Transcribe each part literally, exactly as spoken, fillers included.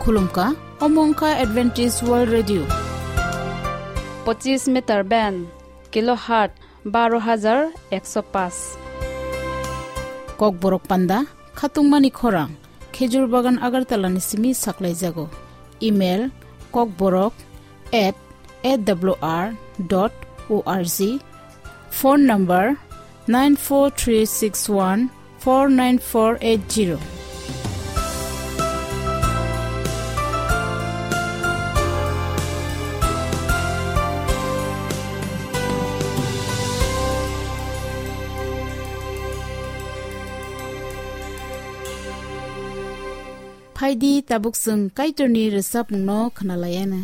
Khulumkha, omo wngkha Adventist World Radio. Pochis meter band, kilohertz baro hajar ekso paanch. Kokborok panda, khatungmani khorang, Khejur Bagan Agartala ni simi saklaijago. Email, kokborok at A W R dot O R G. Phone number, nine four three six one four nine four eight zero. Phaidi, tabuk chwng Kaitorni rwchapmungno khwnalaiana.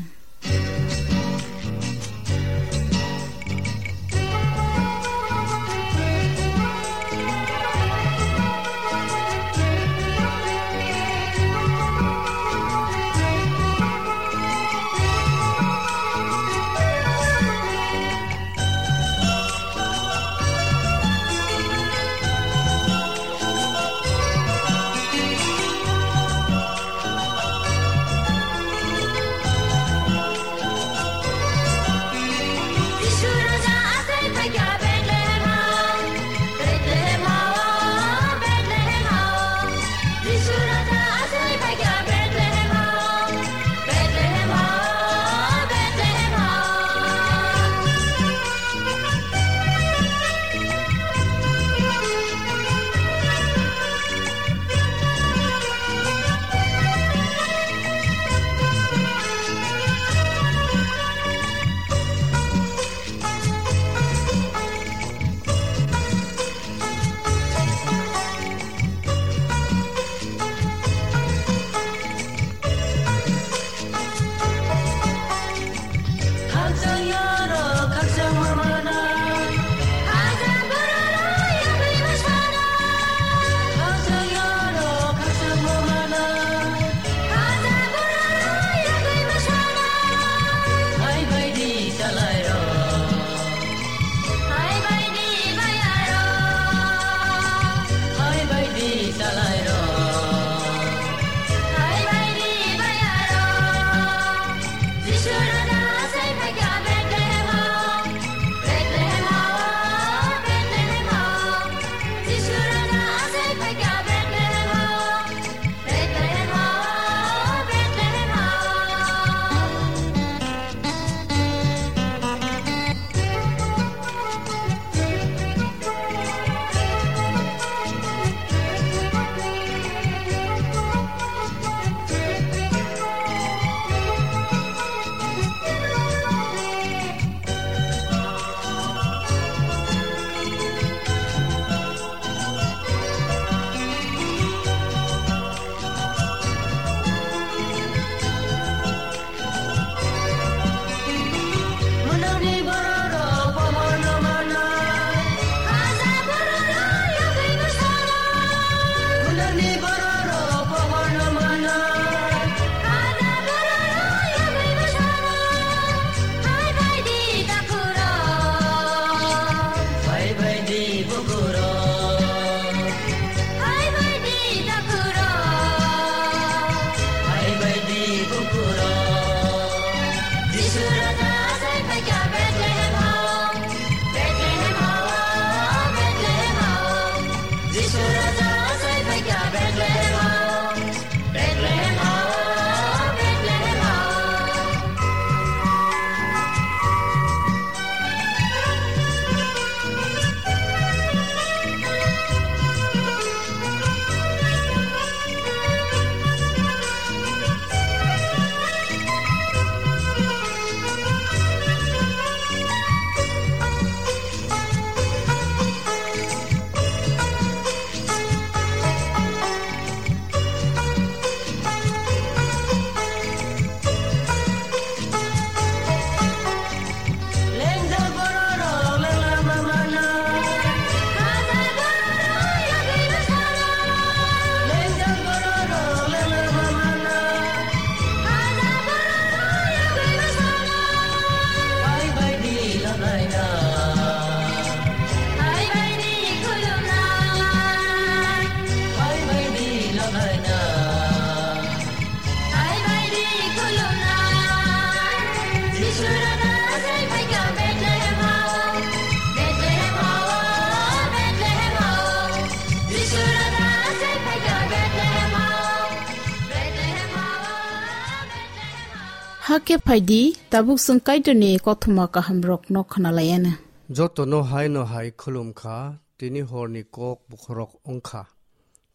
Hakhe phaidi, tabuk chwng Kaitorni kothoma kahamrokno khwnalaianw. Jotono haino hai khulum kha, tini horni kok bokhorok wng kha.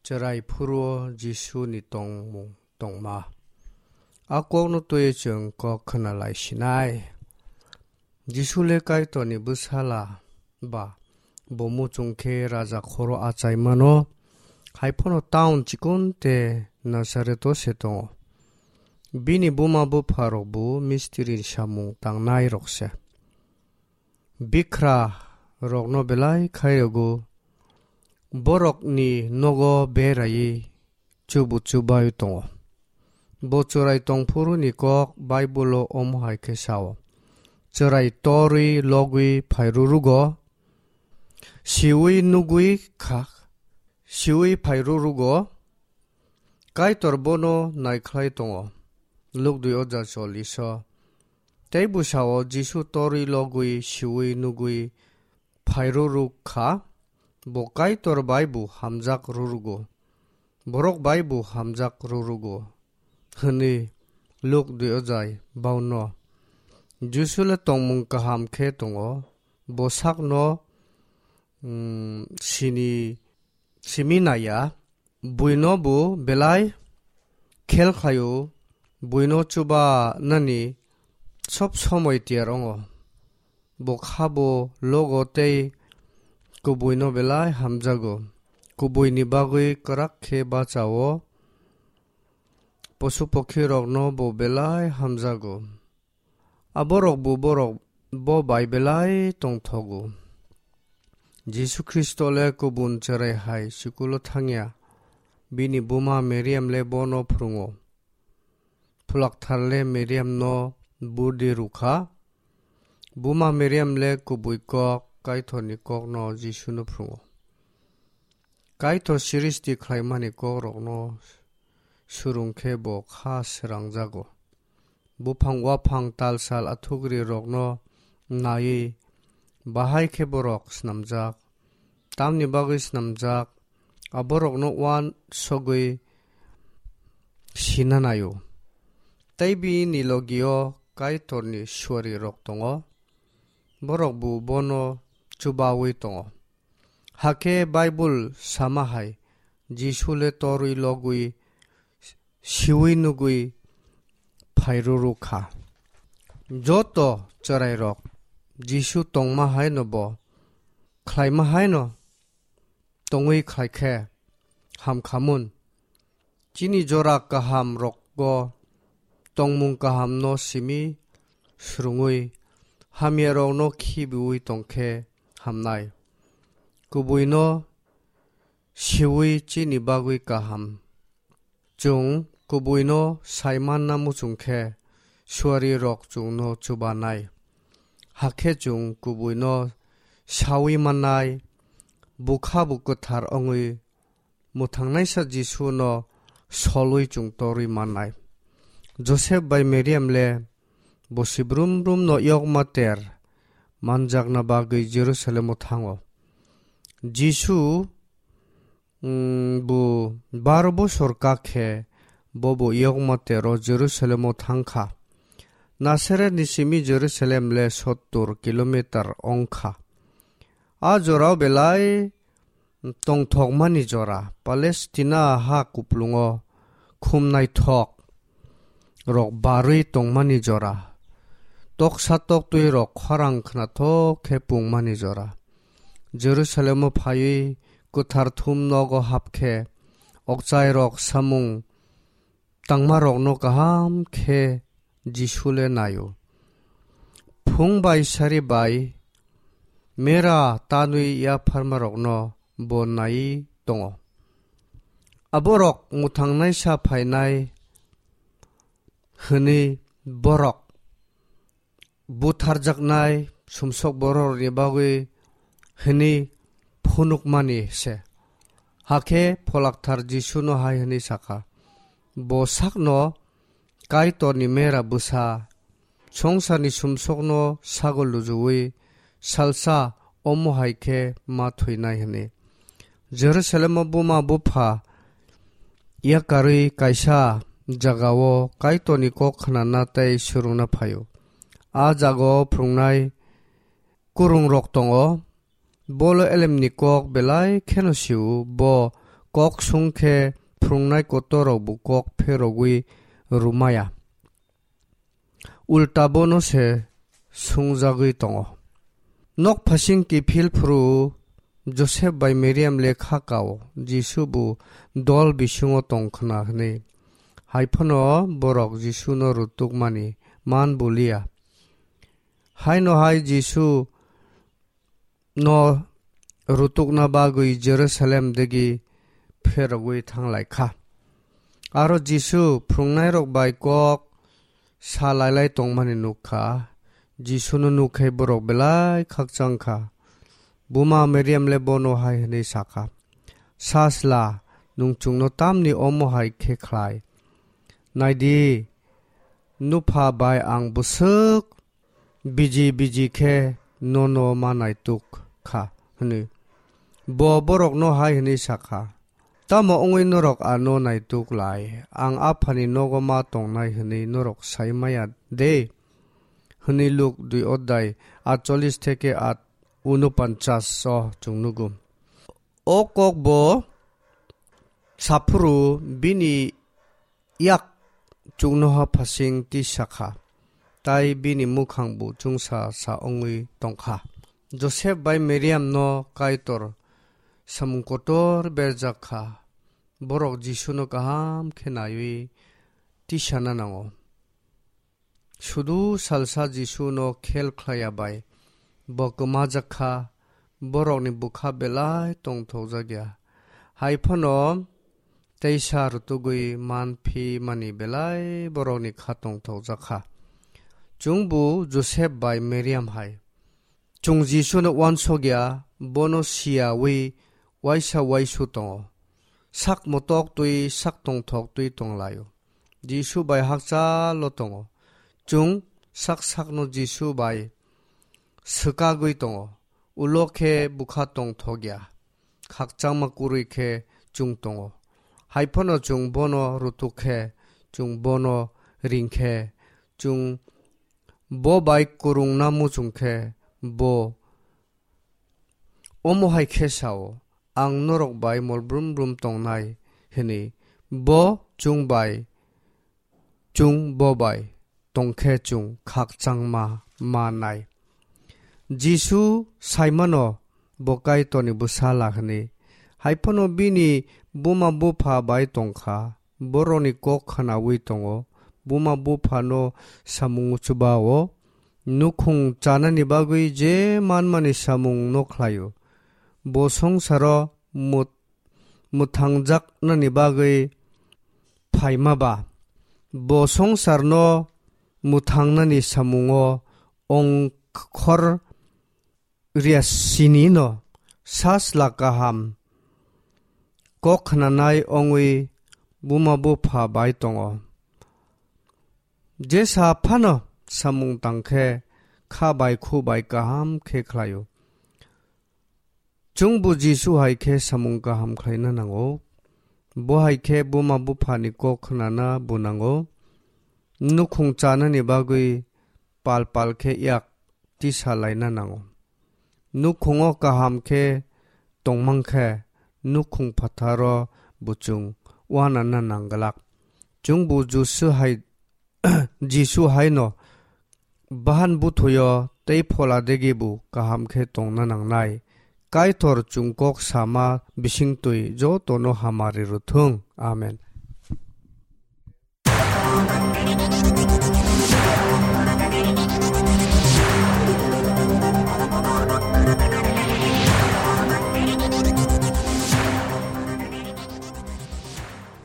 Chwrai phuru-o Jisuni tongmung tongma. A kokno twiwi chwng kok khwnalai sinai. Jisu le Kaitorni bwsala ba, bo muchung khe raja khoro achai mano, hai phano town chikon tei Nasareto se tongo. Bini buma bupha rok bo mistiri samung tangnai rok se. Bikra rokno belai khai rwgo, borokni nogo beraiwi chubu chubai tongo. Bo chwrai tongphuru ni kok Bible-o omo hai khe sao, "Chwrai torwi logwi phai rwrwgo, siwi nugwi kha, siwi phai rwrwgo, Kaitor bono naikhlai tongo." Luk dui oja choliso. Tei bwsao Jisu torwi logwi siwi nugwi phai rwrwk kha, bo Kaitor bai bo hamjak rwrwgo, borok bai bo hamjak rwrwgo, hwnwi Luk dui ojai bauno. Jisu le tongmung kaham khe tongo, bo sakno, mm, sini simi naiya, buino bo belai khel khlaio, buino chuba nani sob somoi tiyar ongo. Bo khabo logo tei kubuino belai hamjago. Kubuini bagwi kwrak khe bachao, posu pokhi rokno bo belai hamjago. Aborok bo borok bo bai belai tongthogo. Jisu Khristo le kubun chwrai hai sikulo thangya, bini buma Meriam le bono phrwngo. Pholakthar le Meriamno burdi rwkha. Buma Meriam le kubui kok, Kaitorni kokno Jisuno phrwngo. Kaitor srishti khlaimani kokrokno swrwng khe bo kha srangjago. Buphang waphang talsal athukri rokno naiwi bahai khe borok snamjak. Tamni bagwi snamjak, aborokno uansugwi sina naio. Tei bini logio Kaitorni suarirok tongo, borok bo bono chubaui tongo. Hakhe Bible sama hai, Jisu le torwi logwi siwi nugwi phai rwrwk kha. Joto chwrairok Jisu tongma haino bo khlaima haino tongwi khlai khe ham khamun. Chini jora kaham rokgo tongmung kahamno simi swrwngwi hamya rokno khibiui tongkhe hamnai. Kubuino siui chini bagwi kaham. Chwng kubuino sai manna muchung khe suari rok chwngno chubanai. Hakhe chwng kubuino saui mannai, bukha bo kwthar wngwi mwthangnaisa Jisuno solwi chwng torwi mannai. Josep bai Meriam le bo sibrum brum no yokma ter manjakna bagwi Jerusalem o thango. Jisu, mm, bo baro bosor kak khe bo bo yokma ter o Jerusalem o thang kha. Nasaret ni simi Jerusalem le sottor kilometer wng kha. A jorao belai tongthokmani jora, Palestina ha kuplungo khum naithok rok barwi tongmani jora, toksa toktwi rok khorang khnathok khe pungmani jora. Jerusalemo phaiwi kwthar thum nogo hapkhe, okchai rok samung tangmarokno kaham khe Jisu le naio. Phung bai sari bai mera tanwi yapharmarokno bo naiwi tongo. Aborok mwthangnaisa phainai hwnwi borok butharjaknai sumsok bororokni bagwi hwnwi phunukmani se. Hakhe Pholakthar Jisuno hai hwnwi sakha, "Bo sakno Kaitorni mera bwsa, songsarni sumsokno sago lujuwi salsa omo hai khe ma thwinai," hwnwi. Jerusalemo buma bupha yakarwi kaisa jagao Kaitorni kok khnana tei swrwngna phaio. A jagao phrwngnai kwrwngrok tongo. Bolo elemni kok belai kheno sio, bo kok sung khe phrwngnai kotorrokbo kok pherogwi rwmaya. Ulta bono se sungjagwi tongo. Nok phasing kiphil phuru Josep bai Mariam le kha kao, Jisu bo dol bisingo tong khna hwnwi. Hai phano borok Jisuno rutukmani man bulia. Haino hai Jisu no rutukna bagwi Jerusalem degi pherogwi thanglai kha. Aro Jisu phrwngnairok bai kok sa lailai tongmani nuk kha. Jisuno nuk khe borok belai khakchang kha. Buma Mariam le bono hai hwnwi sa kha, "Sajla, nwng chwngno tamni omo hai khe khlai? Nai di, nupha bai ang bwswk biji biji khe nono ma naituk kha," hwnwi. Bo borokno hai hwnwi sa kha, "Tamo wngwi norok ano naituk lai? Ang Aphani nogo ma tongnai hwnwi norok sai maya de?" hwnwi Luk dui odhai atchollish theke at unopanchas o chwng nugo. O kok bo saphuru bini yak chuknoha phasing tisa kha, tai bini mukhang bo chungsa sa wngwi tong kha. Josep bai Mariam no Kaitor samung kotor berjak kha. Borok Jisuno kaham khe naiwi tisana nango. Sudu salsa Jisuno khel khlaiya bai bo kwmajak kha, borokni bwkha belai tongthokjak ya. Hai phano teisa rwtugwi man phi mani belai borokni kha tongthokjak kha. Chwngbo Josep bai Mariam hai. Chwng Jisuno uansuk ya, bono siyawi uaisa uaisu tongo. Sak motok twi, sak tongthok twi tong laio. Jisu bai hakchalo tongo. Chwng sak sakno Jisu bai swkagwi tongo. Ulo khe bwkha tongthok ya. Khakchangma kwrwi khe chwng tongo. Hai phano chwng bono rutuk khe, chwng bono ring khe, chwng bo bai kwrwngna muchung khe, bo omo hai khe sao, "Ang norok bai mol brum brum tongnai," hwnwi. Bo chwng bai, chwng bo bai tong khe chwng khakchangma manai. Jisu saimano bo Kaitorni bwsala hwnwi. Hai phano bini buma bupha bai tong kha. Borokni kok khnaui tongo. Buma buphano samung chubao. Nukhung chanani bagwi je manmani samung no khlaio. Bo songsaro mut-, mwthangjaknani bagwi phaima ba. Bo songsarno mwthangnani samungo ongkhor riya sinino sajla kaham kok khnanai ongwi buma bupha bai tongo. Jesa phano samung tang khe kha bai khu bai kaham khe khlaio. Chwngbo Jisu hai khe samung kaham khlaina nango. Bo hai khe buma buphani kok khnana bo nango. Nukhung chanani bagwi pal pal khe yak tisa laina nango. Nukhungo kaham khe tongmang khe nukhung phatharo bo chwng uanana nangglak. Chwngbo Jisu hai Jisu haino bahan buthuyo tei phola degi bo kaham khe tongna nangnai. Kaitor chwng kok sama bisingtwi jotono hamari rwthung. Amen.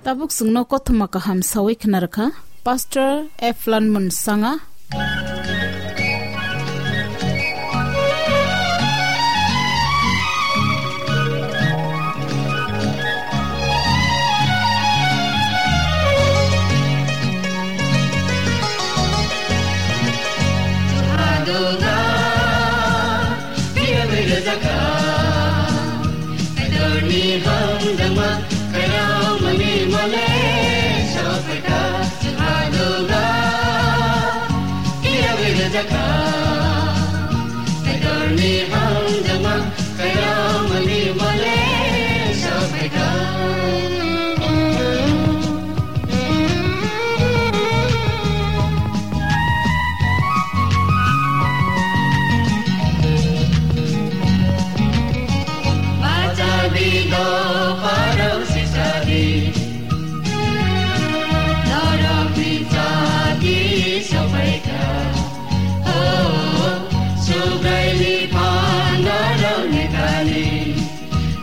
Tabuk chwngno kothoma kaham sawi khna rwkha Pastor Eflan Munsanga. Hamjakma kairamani mole sabaikha. Bacha bido parau sisadi. Norok ni chati sobaikha. Oh, Subraini phanarokni thani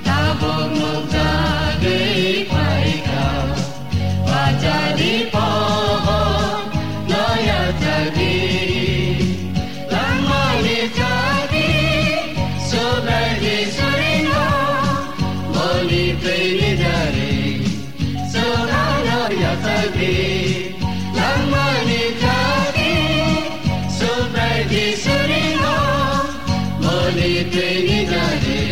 tabuk nukjagwi phaikha. Bachadi pohor no yachagwi langmani chati Subraini surino boni twini jari. Sohano yachagwi langmani chati Subraini surino boni twini jari.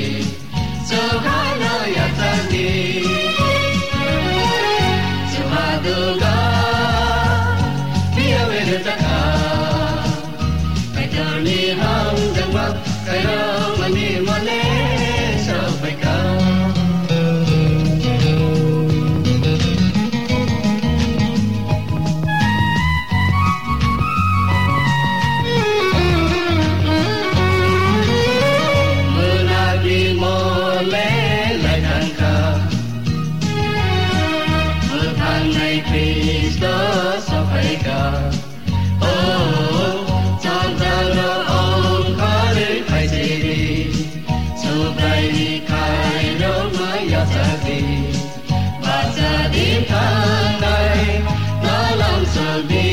Sohano yachagwi Suhaduga piyawe rwchakha. Kaitorni hamjakma kairamani mole sabaikha. Munagwi mole laithangkha. Mwthangnai Khristo sophaikha. O, chongjalo ongkhorwi phaisidi, Subraini khairokma yachakdi, bachadi thangnai nolam sokdi.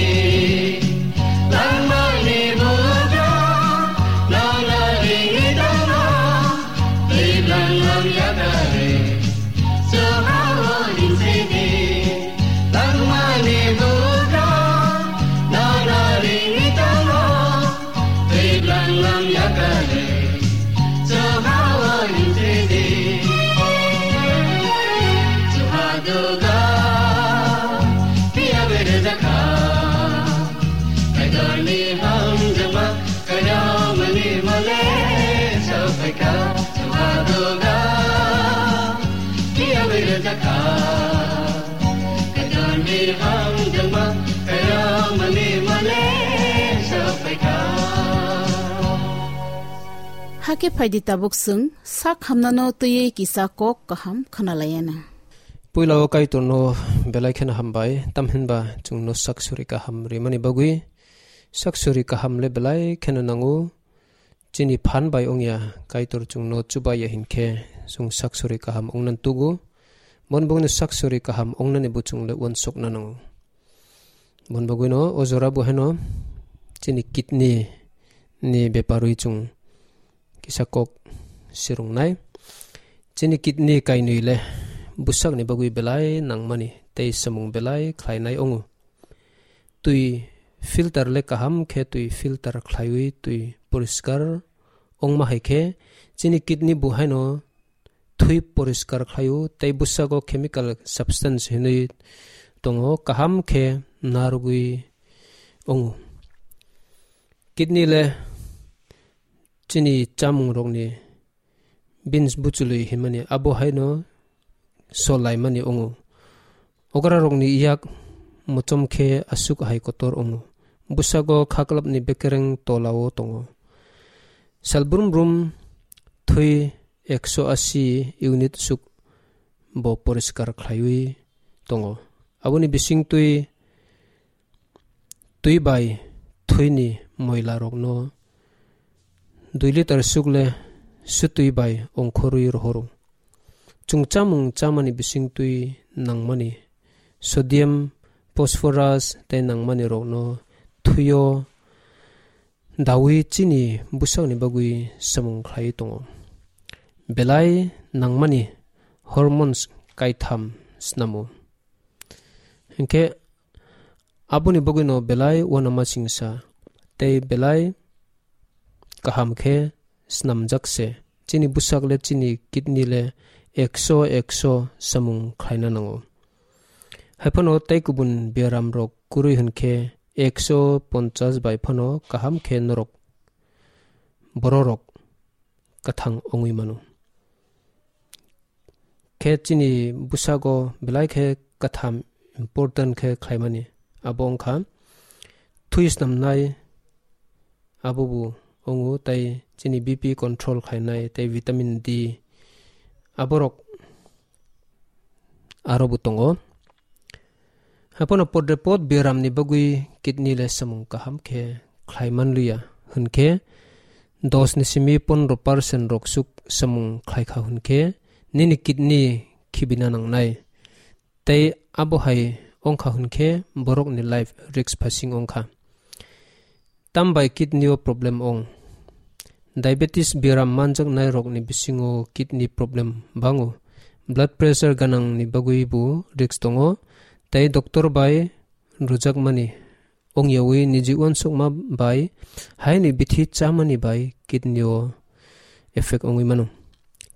Langmani bugra nono ringwi tongo, twi langlam yakari. Sohao hinsidi, langmani bugra nono ringwi tongo, twi langlam yakari. Sohao hinsidi, Sohaduga piyawe rwchakha. Kaitorni hamjakma kairamani mole sabaikha. Sohaduga piyawe rwchakha. Kaitorni hamjakma kairamani mole sabaikha. Hakhe phaidi tabuk chwng sak hamnano twiwi kisa kok kaham khwnalayana. Puila o Kaitorno belai kheno hambai, tamhinba chwngno sak suri kaham rimani bagwi. Sak suri kaham le belai kheno nango. Chini phan bai wngya, Kaitor chwngno chubaiya hinkhe chwng sak suri kaham wngna tugo. Mon bongni sak suri kaham wngnani bo chwng le uansukna nango. Mon bagwino o jora bo haino chini kidney ni beparwi chwng kisa kok sirungnai. Chini kidney kainwi le bwsakni bagwi belai nangmani tei samung belai khlainai wngo. Twi filter le kaham khe twi filter khlaiwi twi poriskar wngma hai khe chini kidney bo haino thwi poriskar khlaio tei bwsago chemical substance hinwi tongo, kaham khe narwgwi wngo. Kidney le chini chamungrokni beans buchului hinmani abo haino sol laimani wngo. Okrarokni yak mochom khe aswk hai kotor wngo. Bwsago khaklapni bekereng tolao tongo. Sal brum brum thwi ekso asi unit swk bo poriskar khlaiwi tongo. Aboni bisingtwi twi bai thwini moila rokno dui litar swk le swtwi bai ongkhorwi rohoro. Chwng chamung chamani bisingtwi nangmani sodium, phosphorus tei nangmani rokno thwio dawi chini bwsakni bagwi samung khlai tongo. Belai nangmani hormones kaitham snamo. Hinkhe aboni bagwino belai uanama singsa tei belai kaham khe snamjak se. Chini bwsak le chini kidney le ekso ekso samung khlaina nango. Haiphano tei kubun biaram rok kwrwi hwnkhe ekso ponchas bai phano kaham khe norok bororok kwthang wngwi mano. Khe chini bwsago belai khe kwtham important khe khlaimani abo wngkha thui snamnai, abo bo wngo, tei chini B P control khlainai, tei vitamin D, aborok aro bo tongo. Haphano podre pod biaram ni bagwi kidney le samung kaham khe khlai manliya, hwnkhe dos ni simi pondro percent rok suk samung khlai kha hwnkhe nini kidney khibina nangnai. Tei abo hai wngkha hwnkhe borokni life risk phasing wngkha. Tambai kidney o problem wng. Diabetes biaram manjaknai rokni bisingo kidney problem bango. Blood pressure ganang ni bagwi bo risk tongo. Tei doctor bai rwjakmani wngyawi niji uansukma bai haini bithi chamani bai kidney o effect wngwi mano.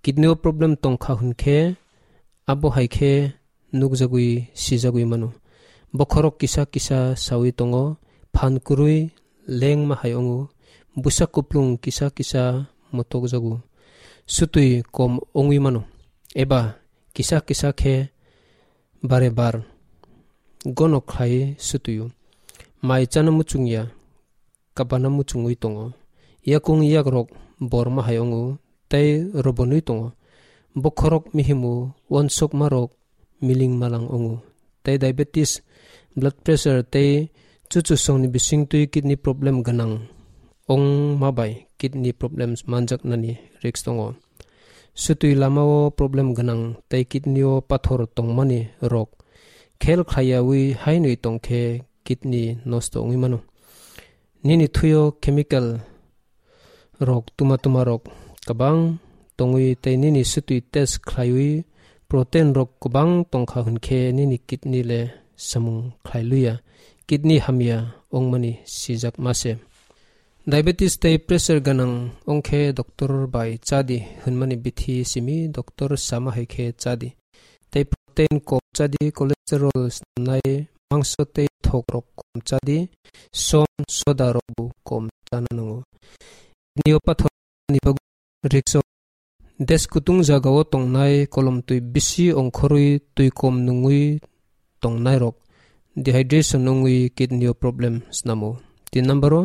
Kidney o problem tongkha hwnkhe abo hai khe nukjagwi sijagwi mano. Bokhorok kisa kisa sawi tongo, phan kwrwi lengma hai wngo, bwsa kuplung kisa kisa motokjago, sutwi kom wngwi mano, eba kisa kisa khe bare bar gono khlai sutwio. Mai chana muchungya, kabana muchungwi tongo. Yakung yakrok borma hai wngo tei robonwi tongo. Bokhorok mihimo uansukmarok miling malang wngo. Tei diabetes, blood pressure tei chuchusongni bisingtwi kidney problem gwnang wngma bai kidney problems manjaknani risk tongo. Sutwi lamao problem gwnang tei kidney o pathor tongmani rok khel khlaiyawi hainwi tongkhe kidney nosto wngwi mano. Nini thuio chemical rok tuma tuma rok kwbang tongwi tei nini sutwi test khlaiwi protein rok kwbang tongkha hwnkhe nini kidney le samung khlai luya, kidney hamya wngmani sijak ma se. Diabetes tei pressure gwnang wngkhe doctor bai chadi hwnmani bithi simi doctor sama hai khe chadi. Tei protein kom chadi, cholesterol snamnai, mangso tei thok rok kom chadi, som soda rok bo kom chana nango. Kidney o pathor ni bagwi risk o. Des kutung jagao tongnai, kolom twi bisi ongkhorwi twi kom nungwi tongnairok dehydration wngwi kidney o problem snamo. Tin number o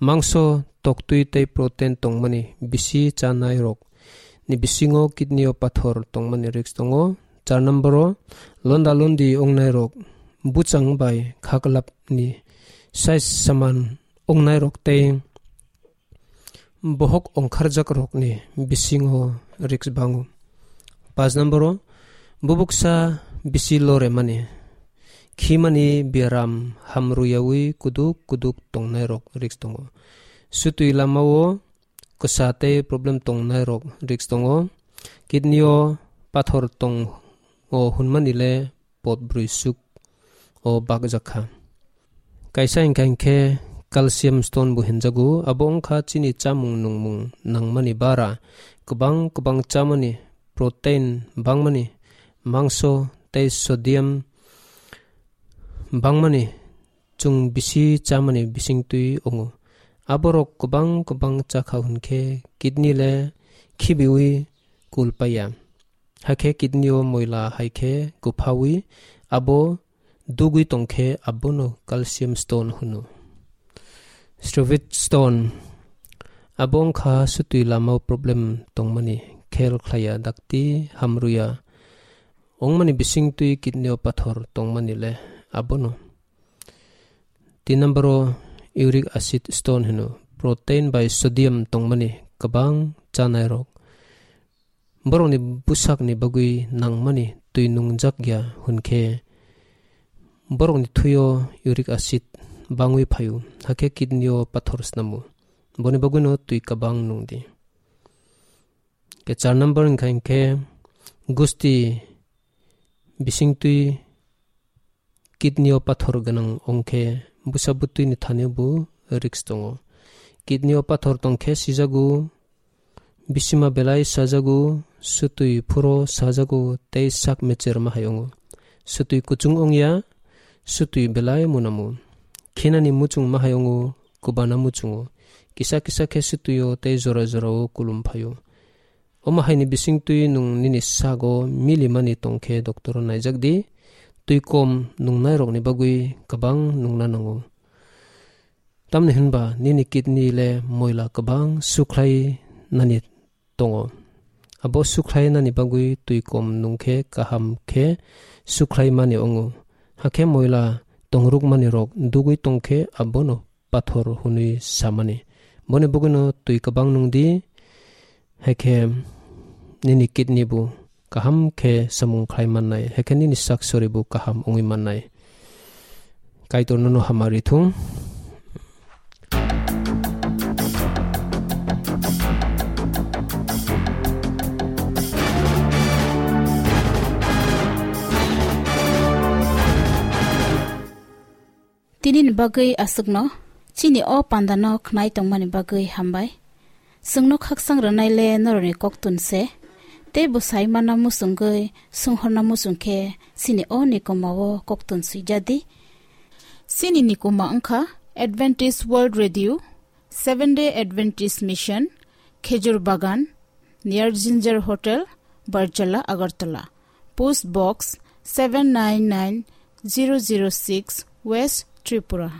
mangso, toktwi tei protein tongmani bisi chanairok ni bisingo kidney o pathor tongmani risk tongo. Char number o londa londi ongnairok, buchang bai khaklap ni size saman ongnairok tei bohok ongkharjak rokni bisingo risk bango. Pas number o bubuksa bisi loremani, khimani biaram hamruyawi kuduk kuduk tongnai rok risk tongo. Sutwi lamao kwsa tei problem tongnai rok risk tongo. Kidney o pathor tongo hwnmani le pot brwi suk o bakjak kha. Kaisa hinkha hinkhe calcium stone bo hinjago, abo wngkha chini chamung nungmung nangmani bara, kwbang kwbang chamani, protein bangmani, mangso tei sodium bangmani, chwng bisi chamani bisingtwi wngo. Aborok kwbang kwbang chakha hwnkhe kidney le khibiwi kul paiya. Hakhe kidney o moila hai khe kwphawi abo dugwi tongkhe abono calcium stone hwno. Strovit stone abo wngkha sutwi lama problem tongmani, khel khlaiya, dakti hamruya wngmani bisingtwi kidney o pathor tongmani le abono. Tin number o uric acid stone hino, protein bai sodium tongmani kwbang chanai rok. Borokni bwsakni bagwi nangmani twi nungjak ya hwnkhe borokni thwio uric acid bangwi phaio, hakhe kidney o pathor snamo. Boni bagwino twi kwbang nungdi. Ke char number wngkha hinkhe gusti bisingtwi kidney o pathor gwnang wngkhe bwsa bwtwini thani bo risk tongo. Kidney o pathor tongkhe sijago, bisima belai sajago, sutwi phuro sajago tei sak mecherma hai wngo. Sutwi kuchung wngya, sutwi belai munamo. Khinani muchungma hai wngo, kubana muchungo. Kisa kisa khe sutwio tei jora jorao kulum phaio. Omo haini bisingtwi nwng nini sago milimani tongkhe doctor-o naijak di. Twi kom nungnairokni bagwi kwbang nungna nango. Tamni hwnba nini kidney le moila kwbang sukhlai nani tongo. Abo sukhlai nani bagwi twi kom nungkhe kaham khe sukhlai mani wngo. Hakhe moila tongrukmani rok dugwi tongkhe abono pathor hwnwi samani. Boni bugwino twi kwbang nungdi, haikhe nini kidney bo kaham khe samung khlai mannai, haikhe nini sak sori bo kaham wngwi mannai. Kaitor nono hamari thung. Tini ni bagwi aswkno, chini o panda no khnai tongmani bagwi hambai. Chwngno khakchang rwnai le norokni koktun se, tei bwsai mana muchungwi sunghorna muchung khe chini o nikoma o koktun swijadi. Chini nikoma wngkha Adventist World Radio, Seven Day Adventist Mission, Khejur Bagan, near Ginger Hotel, Barjala, Agartala. Post Box seven nine nine zero zero six, West Tripura.